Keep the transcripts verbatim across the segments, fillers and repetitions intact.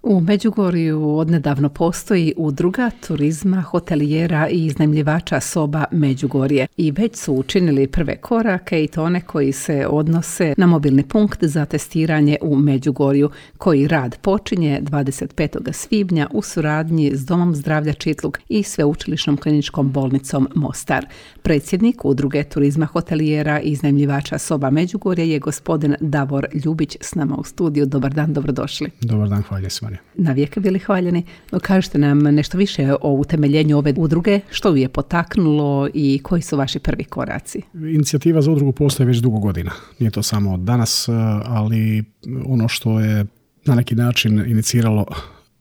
U Međugorju odnedavno postoji udruga turizma, hotelijera i iznajmljivača soba Međugorje i već su učinili prve korake i to one koji se odnose na mobilni punkt za testiranje u Međugorju, koji rad počinje dvadeset petog svibnja u suradnji s Domom zdravlja Čitluk i Sveučilišnom kliničkom bolnicom Mostar. Predsjednik udruge turizma, hotelijera i iznajmljivača soba Međugorje je gospodin Davor Ljubić s nama u studiju. Dobar dan, dobrodošli. Dobar dan, hvala se. Na vijeke bili hvaljeni. Kažete nam nešto više o utemeljenju ove udruge, što ju je potaknulo i koji su vaši prvi koraci? Inicijativa za udrugu postoji već dugo godina. Nije to samo od danas, ali ono što je na neki način iniciralo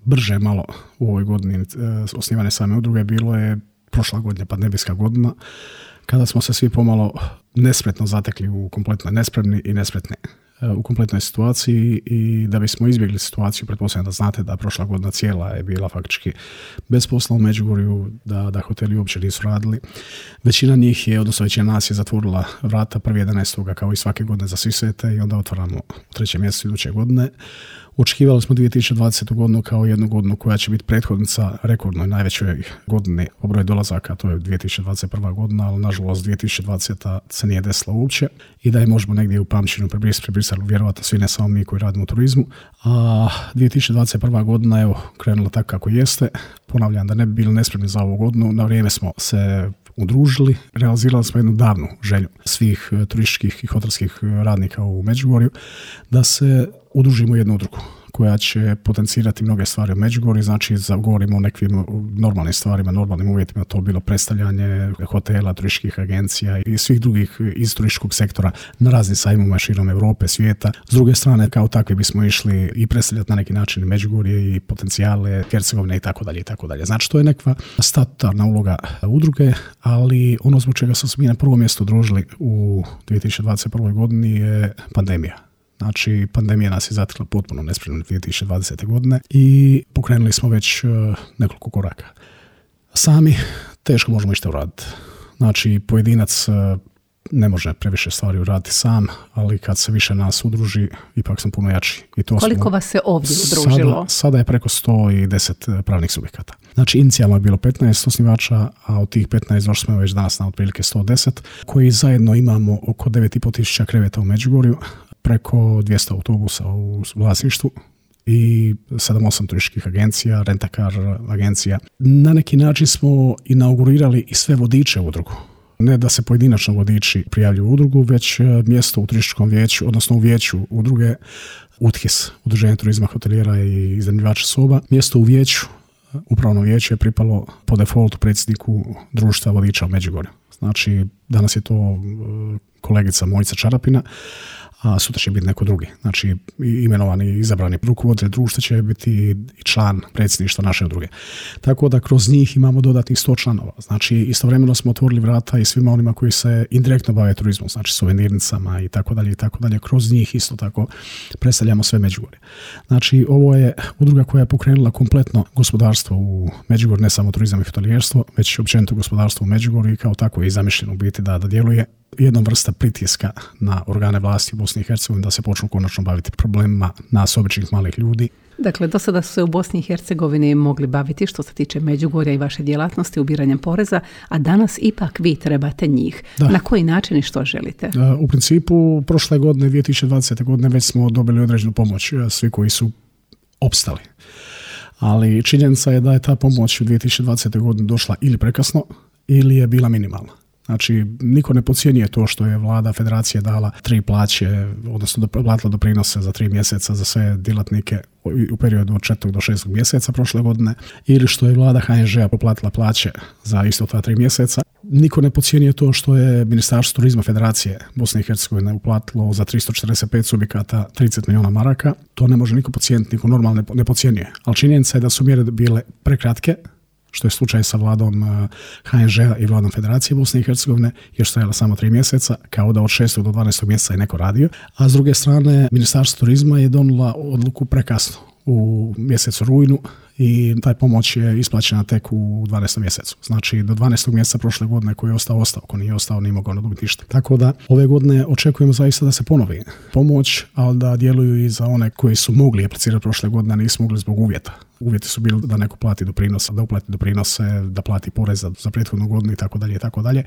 brže malo u ovoj godini osnivane same udruge bilo je prošla godina, pandemijska godina, kada smo se svi pomalo nespretno zatekli u kompletno nespremni i nespretni u kompletnoj situaciji i da bismo izbjegli situaciju, pretpostavljam da znate da prošla godina cijela je bila faktički bez posla u Međugorju, da, da hoteli uopće nisu radili. Većina njih je, odnosno većina nas je zatvorila vrata prvi jedanaestog kao i svake godine za svi svete i onda otvaramo u trećem mjesecu iduće godine. Očekivali smo dvije tisuće dvadesete godinu kao jednu godinu koja će biti prethodnica rekordnoj najvećoj godini po broju dolazaka, to je dvije tisuće dvadeset prva godina, ali nažalost dvije tisuće dvadeseta se nije desila uopće i da je možemo negdje u pamćenju prebrisali vjerovatno svi, ne samo mi koji radimo u turizmu. A dvije tisuće dvadeset prva godina evo krenula tako kako jeste. Ponavljam da ne bi bili nespremni za ovu godinu, na vrijeme smo se udružili, realizirali smo jednu davnu želju svih turističkih i hotelskih radnika u Međugorju da se udružimo jednu udrugu koja će potencirati mnoge stvari u Međugorju, znači govorimo o nekim normalnim stvarima, normalnim uvjetima, to bilo predstavljanje hotela, turističkih agencija i svih drugih iz turističkog sektora na raznim sajmovima širom Europe, svijeta. S druge strane, kao takvi bismo išli i predstavljati na neki način Međugorje i potencijale Hercegovine i tako dalje i tako dalje. Znači, to je nekakva statutarna uloga udruge, ali ono zbog čega smo se mi na prvo mjesto udružili u dvije tisuće dvadeset prvoj godini je pandemija. Znači, pandemija nas je zatekla potpuno nespremno dvije tisuće dvadesete godine i pokrenuli smo već uh, nekoliko koraka. Sami teško možemo išta uraditi. Znači, pojedinac uh, ne može previše stvari uraditi sam, ali kad se više nas udruži, ipak smo puno jači. I to Koliko smo, vas se ovdje udružilo? Sada, sada je preko sto deset pravnih subjekata. Znači, inicijalno je bilo petnaest osnivača, a od tih petnaest došli smo već danas na otprilike sto deset, koji zajedno imamo oko devet i pol tisuća kreveta u Međugorju, preko dvjesto autobusa u vlasništvu i sedam osam turističkih agencija, rentakar agencija. Na neki način smo inaugurirali i sve vodiče u udrugu. Ne da se pojedinačno vodiči prijavljuju u udrugu, već mjesto u turističkom vijeću, odnosno u vijeću udruge U T H I S, Udruženje turizma, hotelijera i iznajmljivača soba. Mjesto u vijeću, upravno vijeće je pripalo po defaultu predsjedniku društva vodiča u Međugorju. Znači, danas je to kolegica Mojica Čarapina, a sutra će biti neko drugi. Znači, imenovani i izabrani rukovoditelj društva će biti i član predsjedništva naše udruge. Tako da kroz njih imamo dodatnih sto članova. Znači, istovremeno smo otvorili vrata i svima onima koji se indirektno bave turizmom, znači suvenirnicama i tako dalje i tako dalje. Kroz njih isto tako predstavljamo sve Međugorje. Znači, ovo je udruga koja je pokrenula kompletno gospodarstvo u Međugorju, ne samo turizam i hotelijerstvo, već općenito gospodarstvo u Međugorju i kao tako je i zamišljeno u biti da, da djeluje jednom vrsta pritiska na organe vlasti u Bosni i Hercegovini da se počnu konačno baviti problemima nas običnih malih ljudi. Dakle, do sada su se u Bosni i Hercegovini mogli baviti što se tiče Međugorja i vaše djelatnosti ubiranjem poreza, a danas ipak vi trebate njih. Da. Na koji način i što želite? U principu, prošle godine, dvije tisuće dvadesete godine, već smo dobili određenu pomoć, svi koji su opstali. Ali činjenica je da je ta pomoć u dvije tisuće dvadesete godine došla ili prekasno, ili je bila minimalna. Znači, niko ne podcjenjuje to što je vlada federacije dala tri plaće, odnosno platila doprinose za tri mjeseca za sve djelatnike u periodu od četvrtog do šestog mjeseca prošle godine, ili što je vlada H N Ž-a poplatila plaće za isto ta tri mjeseca. Niko ne podcjenjuje to što je Ministarstvo turizma Federacije Bosne i Hercegovine uplatilo za tristo četrdeset pet subjekata trideset milijuna maraka. To ne može niko podcijeniti, niko normalno ne podcjenjuje. Ali činjenica je da su mjere bile prekratke, što je slučaj sa vladom H N Ž-a i vladom Federacije Bosne i Hercegovine, još stajala samo tri mjeseca, kao da od šestog do dvanaestog mjeseca je neko radio. A s druge strane, Ministarstvo turizma je donijela odluku prekasno u mjesecu rujnu i taj pomoć je isplaćena tek u dvanaestom mjesecu. Znači do dvanaestog mjeseca prošle godine koji je ostao, ostao, ko nije ostao nije mogao dobiti ništa. Tako da ove godine očekujemo zaista da se ponovi pomoć, ali da djeluju i za one koji su mogli aplicirati prošle godine, a nisu mogli zbog uvjeta. Uvjeti su bili da neko plati doprinose, da uplati doprinose, da plati porez za, za prethodnu godinu i tako dalje i tako dalje.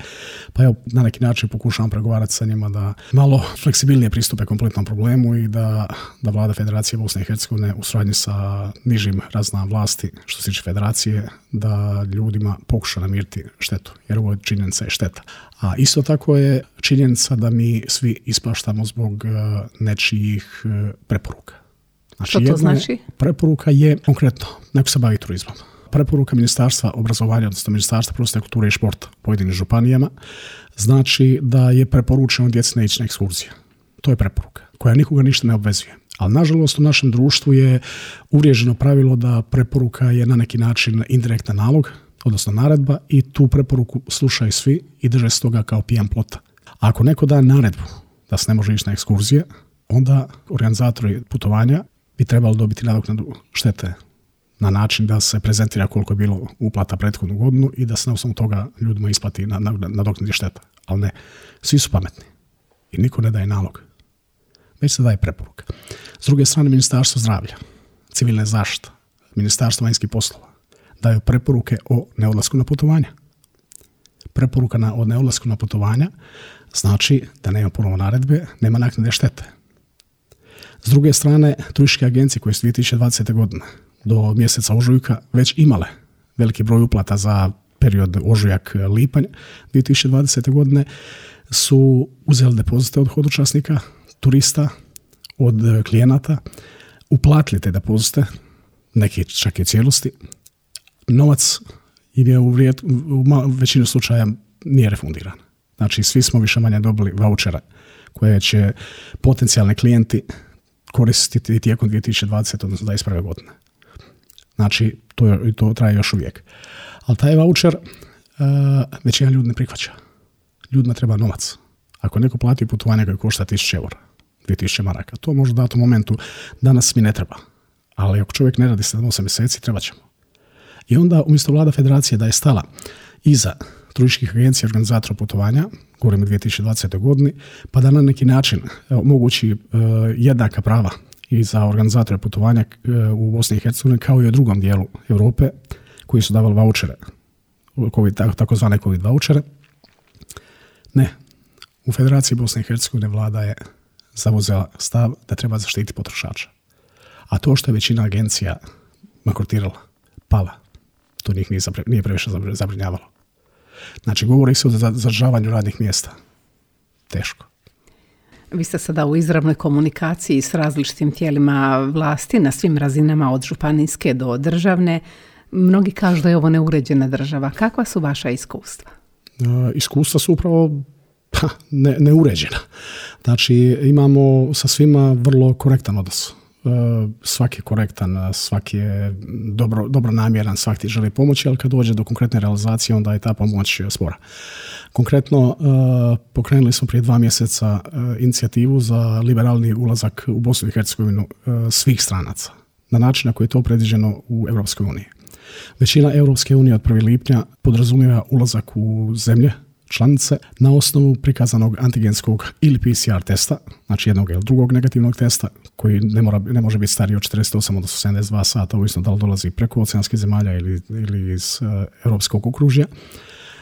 Pa evo, na neki način pokušavam pregovarati sa njima da malo fleksibilnije pristupe kompletnom problemu i da, da vlada Federacije Bosne i Hercegovine u suradnji sa nižim razinama vlasti što se tiče federacije da ljudima pokuša namiriti štetu, jer ovo je činjenica je šteta. A isto tako je činjenica da mi svi ispaštamo zbog nečijih preporuka. Znači, što to znači? Preporuka je konkretno, neko se bavi turizmom. Preporuka Ministarstva obrazovanja, odnosno Ministarstva prosvjete, kulture i športa pojedinim županijama, znači da je preporučeno djeci ne ići na ekskurzije. To je preporuka koja nikoga ništa ne obvezuje. Ali nažalost u našem društvu je uvriježeno pravilo da preporuka je na neki način indirektan nalog, odnosno naredba, i tu preporuku slušaju svi i drže se toga kao pijan plota. A ako neko da naredbu da se ne može ići na ekskurzije, onda organizatori putovanja bi trebali dobiti nadoknadu štete na način da se prezentira koliko je bilo uplata prethodnu godinu i da se na osnovu toga ljudima isplati nadoknadi šteta. Ali ne, svi su pametni i niko ne daje nalog, već se daje preporuka. S druge strane, Ministarstvo zdravlja, civilne zaštite, Ministarstvo vanjskih poslova daju preporuke o neodlasku na putovanja. Preporuka na, o neodlasku na putovanja znači da nema ponovo naredbe, nema naknade štete. S druge strane, turističke agencije koje su dvije tisuće dvadesete. godine do mjeseca ožujka već imale veliki broj uplata za period ožujak-lipanj dvije tisuće dvadesete. godine su uzeli depozite od hodočasnika, turista, od klijenata, uplatili te depozite, neki čak i u cijelosti. Novac im je u, vrijed, u većinu slučaja nije refundiran. Znači, svi smo više manje dobili vaučere koje će potencijalni klijenti koristiti tijekom dvije tisuće dvadesete. odnosno dvadeset prve. godine. Znači, to, je, to traje još uvijek. Ali taj vaučer uh, većina ljudi ne prihvaća. Ljudima treba novac. Ako neko plati putovanje koje košta tisuću eura, dvije tisuće maraka, to može dati u momentu danas mi ne treba. Ali ako čovjek ne radi sedam osam mjeseci, treba ćemo. I onda umjesto vlada federacije da je stala iza turističkih agencija i organizatora putovanja, govorimo o dvije tisuće dvadesete. godini, pa da na neki način omogući uh, jednaka prava i za organizatore putovanja uh, u Bosni i Hercegovini kao i u drugom dijelu Europe koji su davali vaučere, COVID, takozvane COVID vaučere. Ne, u Federaciji Bosne i Hercegovine vlada je zauzela stav da treba zaštiti potrošača. A to što je većina agencija bankrotirala, pala, to njih nije, zapre, nije previše zabrinjavalo. Znači, govori se o zadržavanju radnih mjesta. Teško. Vi ste sada u izravnoj komunikaciji s različitim tijelima vlasti na svim razinama od županijske do državne. Mnogi kažu da je ovo neuređena država. Kakva su vaša iskustva? Uh, iskustva su upravo pa, ne, neuređena. Znači, imamo sa svima vrlo korektan odnos. Svaki je korektan, svaki je dobro, dobro namjeran, svaki želi pomoći, ali kad dođe do konkretne realizacije, onda je ta pomoć spora. Konkretno, pokrenuli smo prije dva mjeseca inicijativu za liberalni ulazak u Bosnu i Hercegovinu svih stranaca, na način na koji je to predviđeno u Europskoj uniji. Većina Europske unije od prvog lipnja podrazumijeva ulazak u zemlje članice na osnovu prikazanog antigenskog ili P C R testa, znači jednog ili drugog negativnog testa koji ne, mora, ne može biti stariji od četrdeset osam do sedamdeset dva sata, ovisno da li dolazi preko oceanskih zemalja ili, ili iz uh, europskog okružja,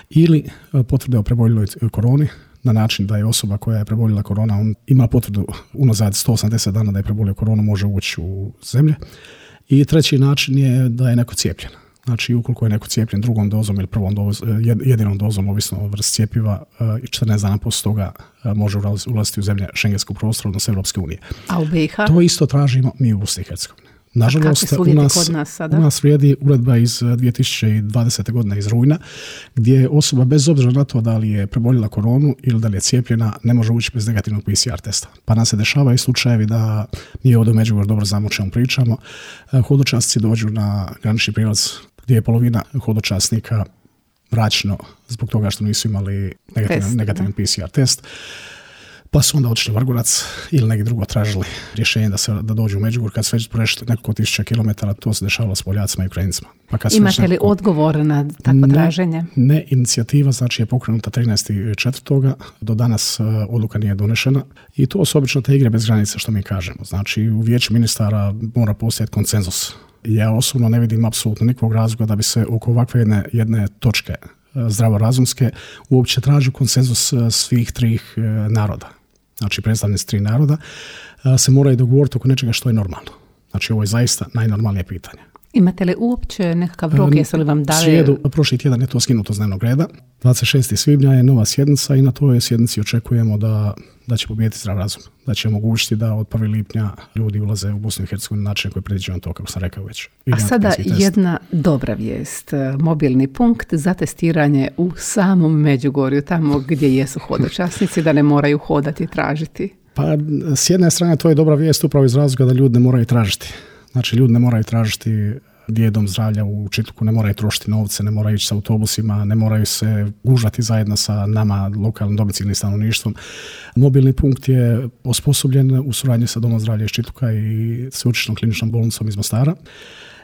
ili uh, potvrde o preboljeloj koroni na način da je osoba koja je preboljela korona, on ima potvrdu unazad sto osamdeset dana da je prebolio koronu, može ući u zemlje. I treći način je da je neko cijepljen. Znači, ukoliko je neko cijepljen drugom dozom ili prvom dozom, jedinom dozom, ovisno o vrsti cjepiva, četrnaest dana poslije toga može ulaziti u zemlje šengenskog prostora, odnosno Europske unije. A u B i H? To isto tražimo mi u Bosni i Hercegovini. Nažalost, u nas, kod nas, sada? u nas vrijedi uredba iz dvije tisuće dvadesete. godine iz rujna, gdje osoba bez obzira na to da li je preboljela koronu ili da li je cijepljena, ne može ući bez negativnog P C R testa. Pa nam se dešavaju slučajevi da mi ovdje u Međugorju dobro znamo o čemu pričamo. Hodočasnici dođu na granični prijelaz gdje je polovina hodočasnika vraćeno zbog toga što nisu imali negativan, test, negativan P C R test. pa su onda otišli u Vrgorac ili negdje drugo tražili rješenje da, se, da dođu u Međugorje. Kad su već prešli nekoliko tisuća kilometara, to se dešavalo s Poljacima i Ukrajincima. Pa kad Imate li nekoliko... odgovor na takvo ne, traženje? Ne, inicijativa znači je pokrenuta trinaestog četvrtog Do danas uh, odluka nije donešena i to su obično te igre bez granica što mi kažemo. Znači u vijeću ministara mora postojati konsenzus. Ja osobno ne vidim apsolutno nikakvog razloga da bi se oko ovakve jedne, jedne točke zdravorazumske uopće traži konsenzus svih trih naroda. Znači predstavnici tri naroda se moraju dogovoriti oko nečega što je normalno. Znači ovo je zaista najnormalnije pitanje. Imate li uopće nekakav rok, jesu li vam dali? Srijedu, prošli tjedan je to skinuto s dnevnog reda. dvadeset šestog svibnja je nova sjednica i na toj sjednici očekujemo da, da će pobijediti zdrav razum. Da će omogućiti da od prvog lipnja ljudi ulaze u Bosnu i Hercegovinu na način koji je predviđen to, kako sam rekao već. A sada jedna dobra vijest. Mobilni punkt za testiranje u samom Međugorju, tamo gdje jesu hodočasnici, da ne moraju hodati i tražiti. Pa s jedne strane to je dobra vijest upravo iz razloga da ljudi ne moraju tražiti. Znači ljudi ne moraju tražiti gdje je dom zdravlja u Čitluku, ne moraju trošiti novce, ne moraju ići s autobusima, ne moraju se gužati zajedno sa nama, lokalnim domicilnim stanovništvom. Mobilni punkt je osposobljen u suradnji sa domom zdravlja iz Čitluka i sveučilišnom kliničnom bolnicom iz Mostara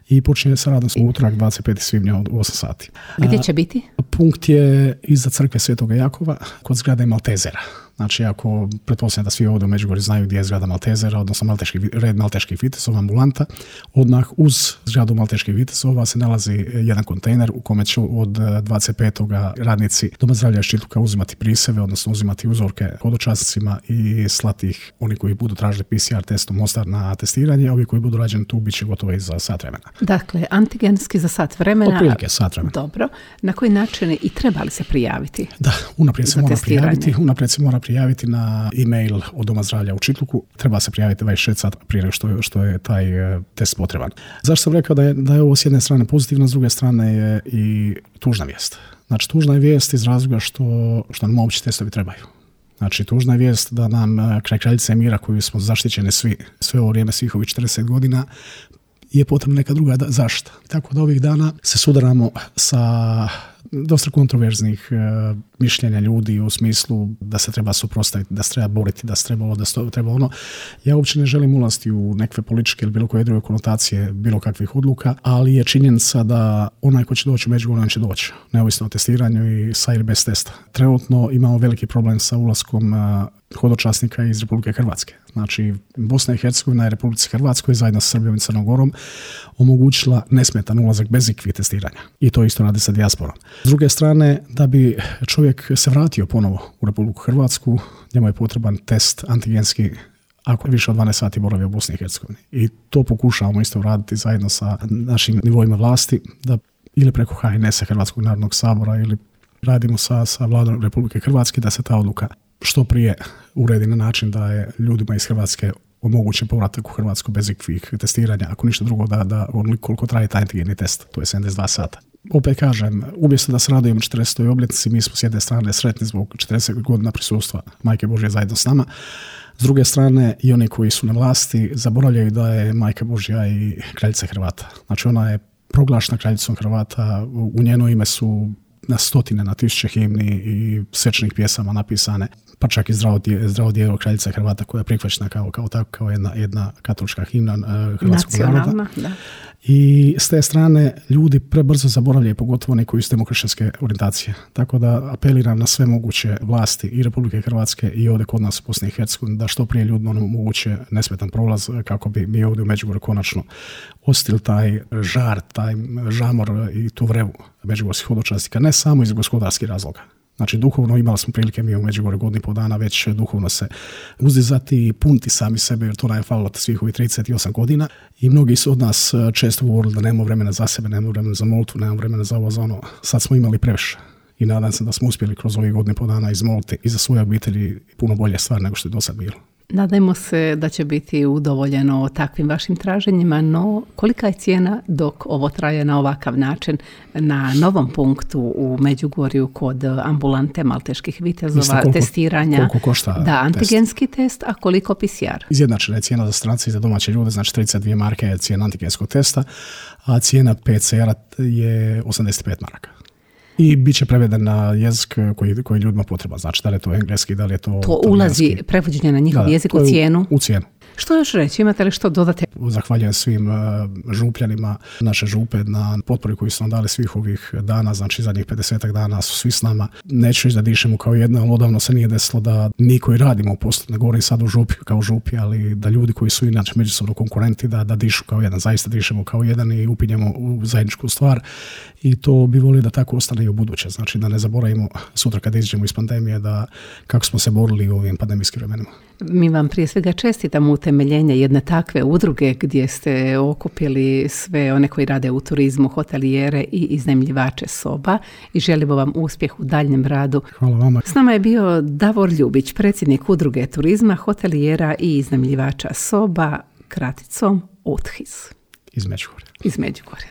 i počinje sa radom u utorak dvadeset petog svibnja od osam sati. Gdje će biti? Punkt je iza crkve Svetog Jakova kod zgrade Maltezera. Znači, ako pretpostavljam da svi ovdje u Međugorju znaju gdje je zgrada Maltezera, odnosno malteški, red malteških vitezova, ambulanta, odmah uz zgradu malteških vitezova se nalazi jedan kontejner u kome će od dvadeset petog radnici Doma zdravlja iz Čitluka uzimati priseve, odnosno uzimati uzorke hodočasnicima i slati ih oni koji budu tražili P C R testom Mostar na testiranje, ovi koji budu rađeni tu bit će gotovo i za sat vremena. Dakle, antigenski za sat vremena. Otprilike sat vremena. Dobro. Na koji način i trebali se prijaviti? Da, unaprijed se mora prijaviti, unaprijed se mora prijaviti na e-mail od Doma zdravlja u Čitluku. Treba se prijaviti dvadeset šest sata prije nego što, što je taj uh, test potreban. Zašto sam rekao da je, da je ovo s jedne strane pozitivno, s druge strane je i tužna vijest. Znači, tužna je vijest iz razloga što, što nam uopće testovi trebaju. Znači, tužna je vijest da nam kraj Kraljice mira, koju smo zaštićeni svi, sve ovo vrijeme, svih ovih četrdeset godina, je potrebna neka druga zaštita. Tako da ovih dana se sudaramo sa dosta kontroverznih e, mišljenja ljudi u smislu da se treba suprotstaviti, da se treba boriti, da se treba ovo, da se treba ono. Ja uopće ne želim ulaziti u nekakve političke ili bilo koje druge konotacije bilo kakvih odluka, ali je činjenica da onaj ko će doći u Međugorje, on će doći, neovisno o testiranju i sa ili bez testa. Trenutno imamo veliki problem sa ulaskom e, hodočasnika iz Republike Hrvatske. Znači, Bosna i Hercegovina je Republici Hrvatskoj zajedno sa Srbijom i Crnom Gorom omogućila nesmetan ulazak bez ikakvih testiranja. I to isto radi sa dijasporom. S druge strane, da bi čovjek se vratio ponovo u Republiku Hrvatsku, njemu je potreban test antigenski ako više od dvanaest sati boravi u Bosni i Hercegovini. I to pokušavamo isto raditi zajedno sa našim nivoima vlasti, da ili preko H N S-a Hrvatskog narodnog sabora ili radimo sa, sa vladom Republike Hrvatske da se ta odluka što prije uredi na način da je ljudima iz Hrvatske omogućen povratak u Hrvatsku bez ikvih testiranja, ako ništa drugo da, da koliko traje taj antigeni test, to je sedamdeset dva sata. Opet kažem, umjesto da se radujemo četrdesetoj obljetnici, mi smo s jedne strane sretni zbog četrdeset godina prisustva Majke Božje zajedno s nama. S druge strane, i oni koji su na vlasti zaboravljaju da je Majka Božja i kraljica Hrvata. Znači, ona je proglašena kraljicom Hrvata, u njeno ime su na stotine, na tisuće himni i svečanih pjesama napisane, pa čak i zdravo, zdravo djevo kraljica Hrvata koja je prihvaćena kao, kao tako, kao jedna, jedna katolička himna uh, hrvatskog naroda. Da. I s te strane ljudi prebrzo zaboravljaju, pogotovo oni koji su demokršćanske orijentacije. Tako da apeliram na sve moguće vlasti i Republike Hrvatske i ovdje kod nas u Bosni i Hercegovini da što prije ljudima omoguće nesmetan prolaz kako bi mi ovdje u Međugorju konačno osjetili taj žar, taj žamor i tu vrevu međugorskih hodočasnika, ne samo iz gospodarskih razloga. Znači, duhovno imali smo prilike mi u Međugorju godinu i pol dana već duhovno se uzdizati i puniti sami sebe, jer to nam je falilo svih ovih trideset osam godina. I mnogi su od nas često govorili da nemamo vremena za sebe, nemamo vremena za molitvu, nemamo vremena za ovo, za ono. Sad smo imali previše. I nadam se da smo uspjeli kroz ovih godinu i pol dana izmoliti i za svoje obitelji puno bolje stvar nego što je do sad bilo. Nadajmo se da će biti udovoljeno takvim vašim traženjima, no kolika je cijena dok ovo traje na ovakav način na novom punktu u Međugorju kod ambulante malteških vitezova, koliko, testiranja? Koliko košta da, antigenski test? test, a koliko P C R? Izjednačena je cijena za strance i za domaće ljude, znači trideset dvije marke je cijena antigenskog testa, a cijena P C R-a je osamdeset pet maraka. I bit će preveden na jezik koji, koji ljudima potreba. Znači, da li je to engleski, da li je to... To ulazi prevođenje na njihov da, jezik u cijenu? U, u cijenu. Što još reći? Imate li što dodati? Zahvaljujem svim uh, župljanima naše župe na potpori koju su nam dali svih ovih dana, znači zadnjih pedesetak dana su svi s nama. Neću reći da dišemo kao jedna, ali odavno se nije desilo da mi koji radimo u poslu, ne govorim sad u župi kao župi, ali da ljudi koji su inače međusobno konkurenti da, da dišu kao jedan, zaista dišemo kao jedan i upinjemo u zajedničku stvar i to bi volio da tako ostane i u buduće. Znači da ne zaboravimo sutra kad izađemo iz pandemije da kako smo se borili u ovim pandemijskim vremenima. Mi vam prije svega čestitamo utemeljenje jedne takve udruge gdje ste okupili sve one koji rade u turizmu, hotelijere i iznajmljivače soba i želimo vam uspjeh u daljnjem radu. Hvala vama. S nama je bio Davor Ljubić, predsjednik udruge turizma, hotelijera i iznajmljivača soba, kraticom U T H I S. Iz Međugorja. Iz Međugorja.